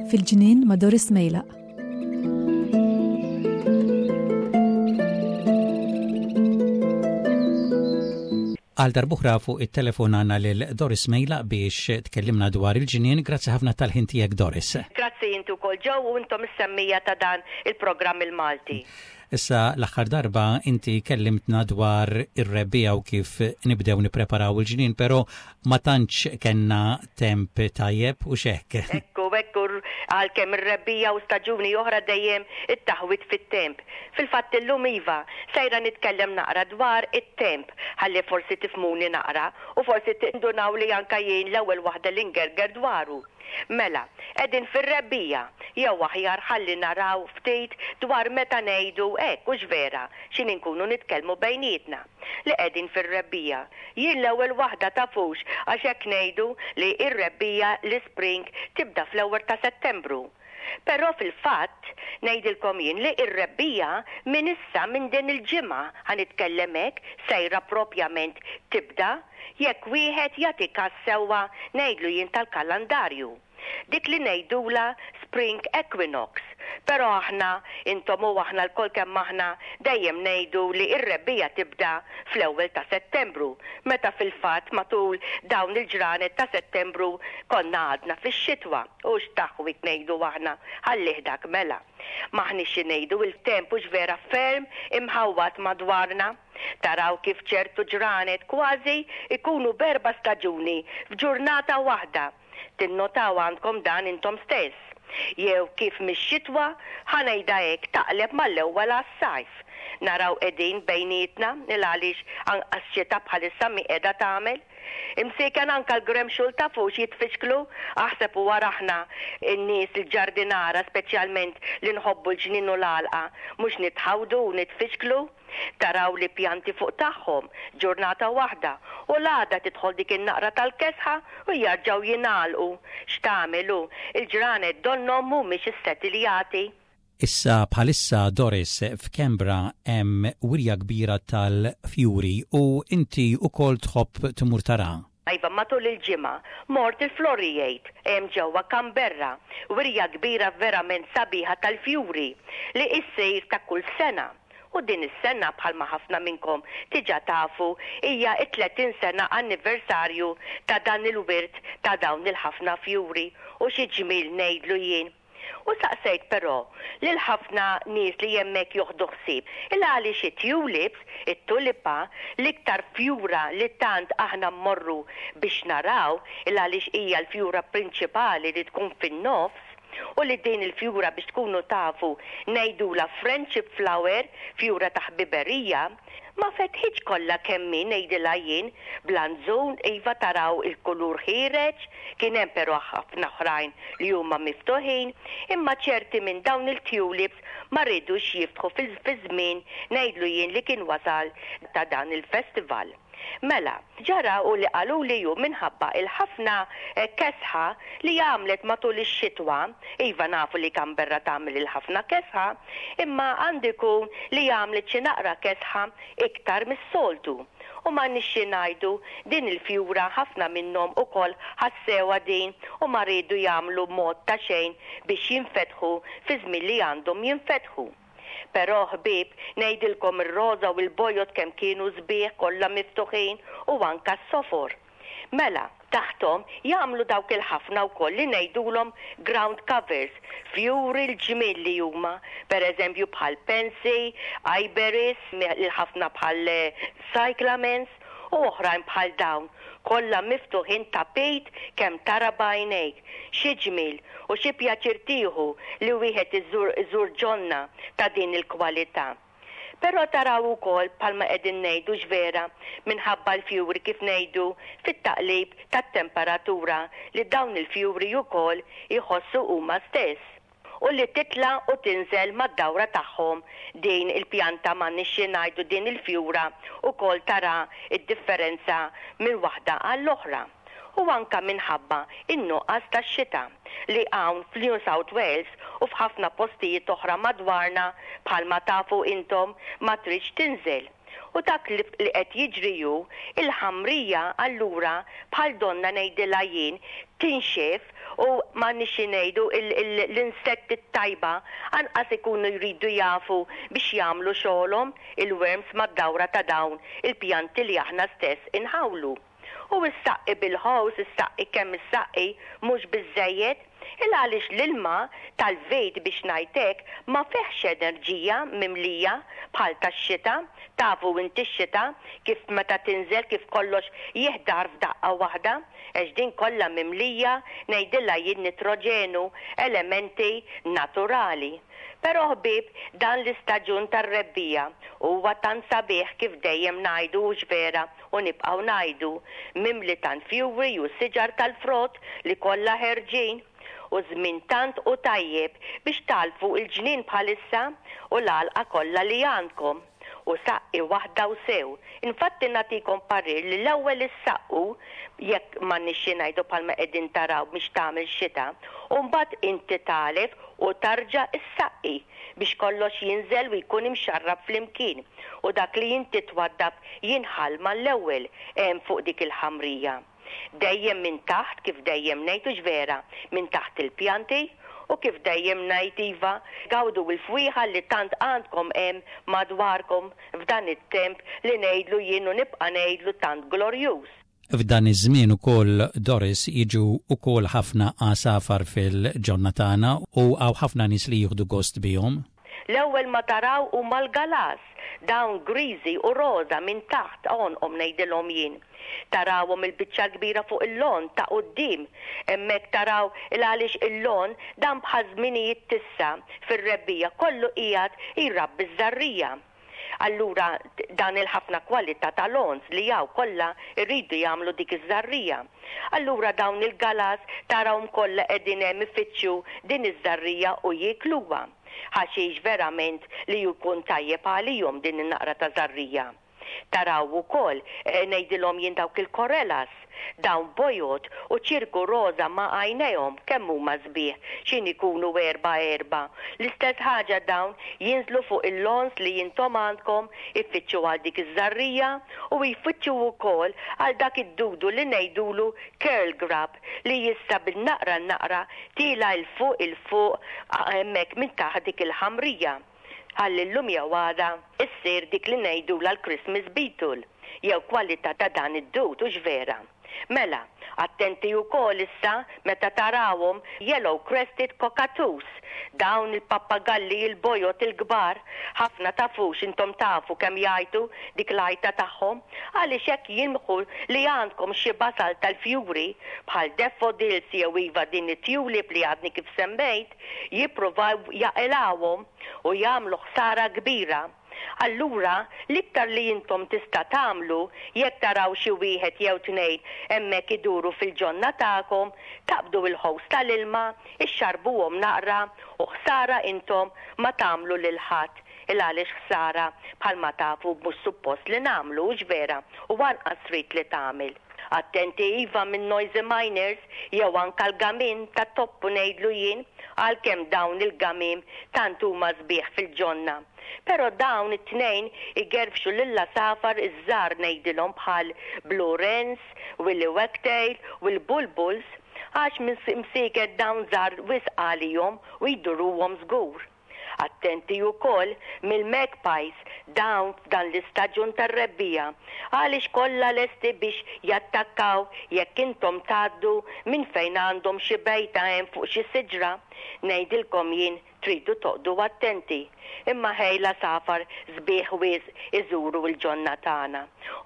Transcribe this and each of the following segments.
Fil-ġnien ma' Doris Mejlaq. Għal darb'oħra fuq it-telefon għandna lil Doris Mejlaq biex tkellimna dwar il-ġnien. Grazzi ħafna tal-ħin tiegħek Doris. Grazzi inti wkoll Joe u intom is-semmija ta' dan il-programm il-Malti. Issa l-aħħar darba inti kellimtna dwar ir-rebbiegħa u kif nibdew nippreparaw il-ġnien, però ma tantx kellna temp tajjeb u x'hekk. Ekku, ekku, għalkemm ir-rebbiegħa u staġuni oħra dejjem it-taħwid fit-temp. Fil-fatt illum iva, sejra nitkellem naqra dwar it-temp ħalli forsi tifhmuni naqra u forsi tindunaw li anke jien l-ewwel waħda li ngerger dwaru. Mela, qegħdin fir-rebbiegħa, jew aħjar ħalli naraw ftit dwar meta ngħidu hekk, hux vera, x'inhi nkunu nitkellmu bejnietna, li qegħdin fir-rebbiegħa. Jien l-ewwel waħda tafux għax hekk ngħidu li r-rebbiegħa, l-ispring, tibda fl-ewwel ta' Settembru. Però fil-fatt, ngħidilkom jien li r-rebbiegħa minn issa, minn din il-ġimgħa, ħa nitkellem hekk, sejra propjament tibda, jekk wieħed jagħti kas sewwa ngħidlu jien tal-kalandarju. Dik li ngħidulha spring equinox. Però aħna, intom u aħna lkoll kemm aħna, dejjem ngħidu li r-rebbiegħa tibda fl-ewwel ta' Settembru, meta fil-fatt matul dawn il-ġranet ta' Settembru konna għadna fix-xitwa. U x'taħwid ngħidu aħna, ħallih dak mela. M'aħniex xi ngħidu, il-temp hux vera ferm imħawwad madwarna. Taraw kif ċertu ġranet kważi jkunu b'erba' staġuni f'ġurnata waħda. Tinnotaw għandkom dan intom stess. Jew kif mix-xitwa, ħa ngħidha hekk, taqleb mal-ewwel għas-sajf. Naraw qegħdin bejnietna, il-għaliex anqas xita bħalissa mhi qiegħda tagħmel. Imsieken anke l-gremxul tafux jitfixklu, aħseb u ara aħna n-nies il-ġardinara speċjalment li nħobbu l-ġnien u l-għalqa mhux nitħawdu u nitfixklu. Taraw li pjanti fuq tagħhom, ġurnata waħda, u l-għada tidħol dik in-naqra tal-kesħa u jarġgħu jingħalqu. X'tagħmel hu, il-ġranet donnhom mhumiex issetiljati. Issa bħalissa Doris f'Canberra hemm wirja kbira tal-fjuri u inti wkoll tħobb tmur taraha. Iva, matul il-ġimgħa mort il-Floriade hemm ġewwa Canberra, wirja kbira verament sabiħa tal-fjuri li issir ta' kull sena. U din is-sena bħalma ħafna minnkom diġà tafu hija t-30 sena anniversarju ta' dan il-wirt ta' dawn il-ħafna fjuri u xi ġmiel ngħidlu jien. U saqsejt però lil ħafna nies li hemmhekk joħdu ħsieb il għaliex it-tulips, it-tulipa, l-iktar fjura li tant aħna mmorru biex naraw il għaliex hija l-fjura prinċipali li tkun fin-nofs u li din il-fjura biex tkunu tafu ngħidulha friendship flower, fjura ta' ħbiberija, Ma fetħitx kollha kemm hi ngħidilha jien, bl-anzun iva taraw il-kulur ħiereġ, kien hemm però ħafna oħrajn li huma miftuħin, imma ċerti minn dawn il-tulips ma riedux jiftħu fiż-żmien ngħidlu jien li kien wasal ta' dan il-festival. Mela, ġara u li qaluli hu minħabba il-ħafna kesħa li għamlet matul ix-xitwa, iva nafu li Canberra tagħmel il-ħafna kesħa, imma għandu jkun li għamlet xi naqra kesħa iktar mis-soltu. U m'għandniex xi ngħidu, din il-fjura ħafna minnhom ukoll ħassewha din u ma riedu jagħmlu mod ta' xejn biex jinfetħu fiż-żmien li għandhom jinfetħu. Però ħbieb, ngħidilkom ir-roża u l-bojod kemm kienu sbieħ kollha miftuħin u anka s-sofor. Mela, taħthom jagħmlu dawk il-ħafna wkoll li ngħidulhom ground covers, fjuri l-ġmiel li huma, per eżempju bħal pansy, iberis, il-ħafna bħal cyclamens, u oħrajn bħal dawn, kollha miftuħin tapit kemm tara b'għajnejk. Xi ġmiel u xi pjaċir tieħu li wieħed iżur iżur ġonna ta' din il-kwalità. Però taraw ukoll bħalma qegħdin ngħidu x'vera minħabba l-fjuri kif ngħidu fit-taqlib tat-temperatura li dawn il-fjuri ukoll jħossu huma stess. u li titla' u tinżel mad-dawra tagħhom din il-pjanta m'għandniex xi ngħidu din il-fjura wkoll tara d-differenza minn waħda għall-oħra. U anka minħabba in-nuqqas tax-xita li hawn f'New South Wales u f'ħafna postijiet oħra madwarna bħalma tafu intom ma tridx tinżel. U dak li qed jiġri hu, il-ħamrija allura bħal donnha ngħidilha jien tinxef u m'għandniex xi ngħidu l-insetti t-tajba anqas ikunu jridu jafu biex jagħmlu xogħolhom il-worms mad-dawra ta' dawn il-pjanti li aħna stess inħawlu. U issaqqi bil-hose, issaqqi kemm issaqqi, mhux biżżejjed. Il għaliex l-ilma tal-vit biex ngħid hekk ma fihx enerġija mimlija bħal tax-xita, tafu inti x-xita kif meta tinżel kif kollox jiħdar f'daqqa waħda, għax din kollha mimlija ngħidilha jien nitroġenu, elementi naturali. Però ħbieb dan l-istaġun tar-rebbiegħa huwa tant sabiħ kif dejjem ngħidu hux vera u nibqgħu ngħidu, mimli tant fjuri u siġar tal-frott li kollha ħerġin. U żmien tant hu tajjeb biex tagħlfu l-ġnien bħalissa u l-għalqa kollha li għandkom. U saqqi waħda u sew. Infatti nagħtikom parir li l-ewwel issaqqu, jekk m'għandniex xi ngħidu bħalma qegħdin taraw biex tagħmel xita, u mbagħad inti tagħlef u tarġa' ssaqqi. biex kollox jinżel u jkun imxarrab flimkien, u dak li inti twaddab jinħall mal-ewwel hemm fuq dik il-ħamrija. Dejjem minn taħt, kif dejjem ngħid, hux vera, minn taħt il-pjanti, u kif dejjem ngħid, iva, gawdu l-fwieħa li tant għandkom hemm madwarkom f'dan it-temp li ngħidlu jien u nibqa' ngħidlu tant glorjuż. F'dan iż-żmien ukoll Doris jiġu ukoll ħafna għasafar fil-ġonna tagħna u hawn ħafna nies li jieħdu gost bihom. L-ewwel ma taraw huma l-galas, dawn griżi u roża minn taħt għonqhom ngħidilhom jien. Tarawhom il-biċċa l-kbira fuq il-lawn ta' quddiem. Hemmhekk taraw il għaliex il-lawn dan bħaż-żminijiet t'issa fir-rebbiegħa kollu qiegħed jrabbi ż-żarrija. Allura dan il-ħafna kwalità ta' lawns li hawn kollha jridu jagħmlu dik iż-żarrija. Allura dawn il-galas tarahom kollha qegħdin hemm ifittxu din iż-żarrija u jiekluha. Ħaxix verament li jkun tajjeb għalihom din in-naqra ta' żarrija. Taraw ukoll, ngħidilhom jien dawk il-korelas, dawn bojod u ċirku roża ma' għajnejhom, kemm huma sbieħ, x'in ikunu erbgħa erbgħa. L-istess ħaġa dawn jinżlu fuq il-lawns li intom għandkom, ifittxu għal dik iż-żarrija u jfittxu wkoll għal dak id-dudu li ngħidulu curl grub li issa bin-naqra n-naqra tiela' 'l fuq 'il fuq hemmhekk minn taħt dik il-ħamrija. Ħalli llum jew għada issir dik li ngħidulha l-Christmas beetle, jew kwalità ta' dan id-dud, hux vera? Mela, attenti wkoll issa meta tarawhom yellow crested cockatoos, dawn il-pappagalli il-bojod il-kbar, ħafna tafux intom tafu kemm jgħajtu dik l-għajta tagħhom, għaliex hekk jilmħu li għandkom xi basal tal-fjuri bħal daffodils jew iva din it-tulip li għadni kif semmejt, jippruvaw jaqilgħuhom u jagħmlu ħsara kbira. Allura, l-iktar li intom tista' tagħmlu, jekk taraw xi wieħed jew tnejn hemmhekk iduru fil-ġonna tagħkom, taqbdu il-ħows tal-ilma, ixxarrbuhom naqra u ħsara intom ma tagħmlu lil ħadd, il għaliex ħsara bħalma tafu mhux suppost li nagħmlu, hux vera, u anqas trid li tagħmel. Attenti iva minn noisy miners jew anka l-gamiem tat-toppu ngħidlu jien għalkemm dawn il-gamiem tant huma sbieħ fil-ġonna. Pero dawn it-tnejn igerfxu lill-għasafar iż-żgħar ngħidilhom bħal blue wrens, willy wagtail u l-bulbuls għax msieket dawn żgħar wisq għalihom u jduruhom żgur. Attenti ukoll mill-magpies dawn f'dan l-istaġun tar-rebbiegħa għaliex kollha lesti biex jattakkaw jekk intom tgħaddu minn fejn għandhom xi bejta hemm fuq xi siġra. Ngħidilkom jien tridu toqgħdu attenti. Imma ħej l-għasafar sbieħ wisq iżuru l-ġonna tagħna.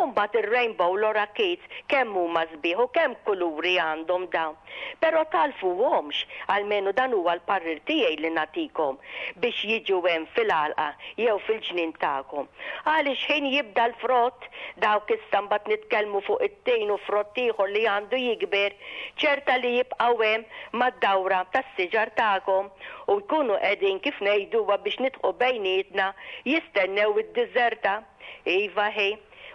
U mbagħad ir-rainbow lorikeets kemm huma sbieħ u kemm kuluri għandhom dawn. Però tagħlfuhomx, almenu dan huwa l-parir tiegħi li nagħtikom, biex jiġu hemm fil-għalqa jew fil-ġnien tagħkom. Għaliex x'ħin jibda l-frott, dawk issa mbagħad nitkellmu fuq it-tin u frott ieħor li għandu jikber, ċerta li jibqgħu hemm mad-dawra tas-siġar tagħkom u jkunu qegħdin kif ngħiduha biex nidħqu bejnietna jistennew id-diżerta. Iva ħi,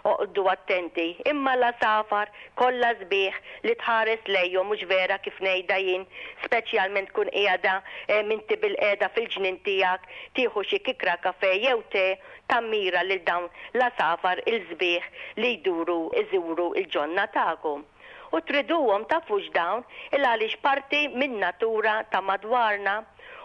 oqgħdu attenti, imma l-għasafar kollha sbieħ li tħares lejhom mhux vera kif ngħidha jien, speċjalment tkun qiegħda inti bilqiegħda fil-ġnien tiegħek tieħu xi kikra kafè jew te tammira lil dawn l-għasafar il-sbieħ li jduru iżuru l-ġonna tagħkom. U triduhom tafux dawn il għaliex parti min-natura ta' madwarna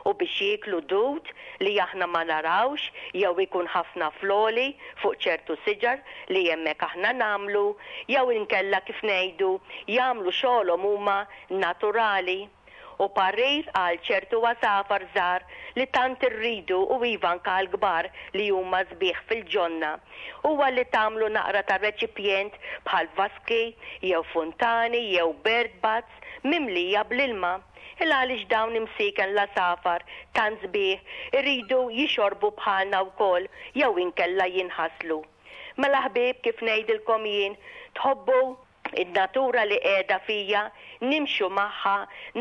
u biex jieklu dud li aħna ma narawx jew ikun ħafna fl-għoli fuq ċertu siġar li hemmhekk aħna nagħmlu jew inkella kif ngħidu jagħmlu xogħolhom huma naturali. U parir għal ċertu għasafar żgħar li tant irridu u iva anke għall-kbar li huma sbieħ fil-ġonna, huwa li tagħmlu naqra ta' reċipjent bħal vaski jew funtani jew bird baths mimlija bl-ilma. Il għaliex dawn imsieken l-għasafar tant sbieħ iridu jixorbu bħalna wkoll jew inkella jinħaslu. Mela ħbieb kif ngħidilkom jien, tħobbu In-natura li qiegħda fija, nimxu magħha,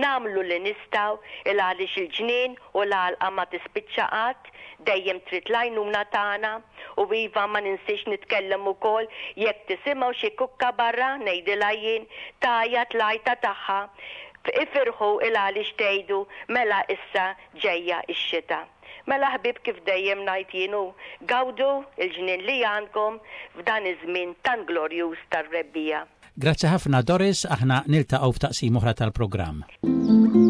nagħmlu li nistgħu, il għaliex il-ġnien u l-għalqa ma tispiċċa qatt, dejjem trid l-għajnuna tagħna. U iva ma ninsiex nitkellem ukoll jekk tisimgħu xi kukkabarra, ngħidilha jien, tgħajjat l-għajta tagħha, ifirħu il għaliex tgħidu mela issa ġejja x-xita. Mela ħbieb kif dejjem ngħid jien hu, gawdu l-ġnien li għandkom f'dan iż-żmien tant glorjuż tar-rebbiegħa. Grazzi ħafna Doris, aħna niltaqgħu f'taqsima oħra tal-programm.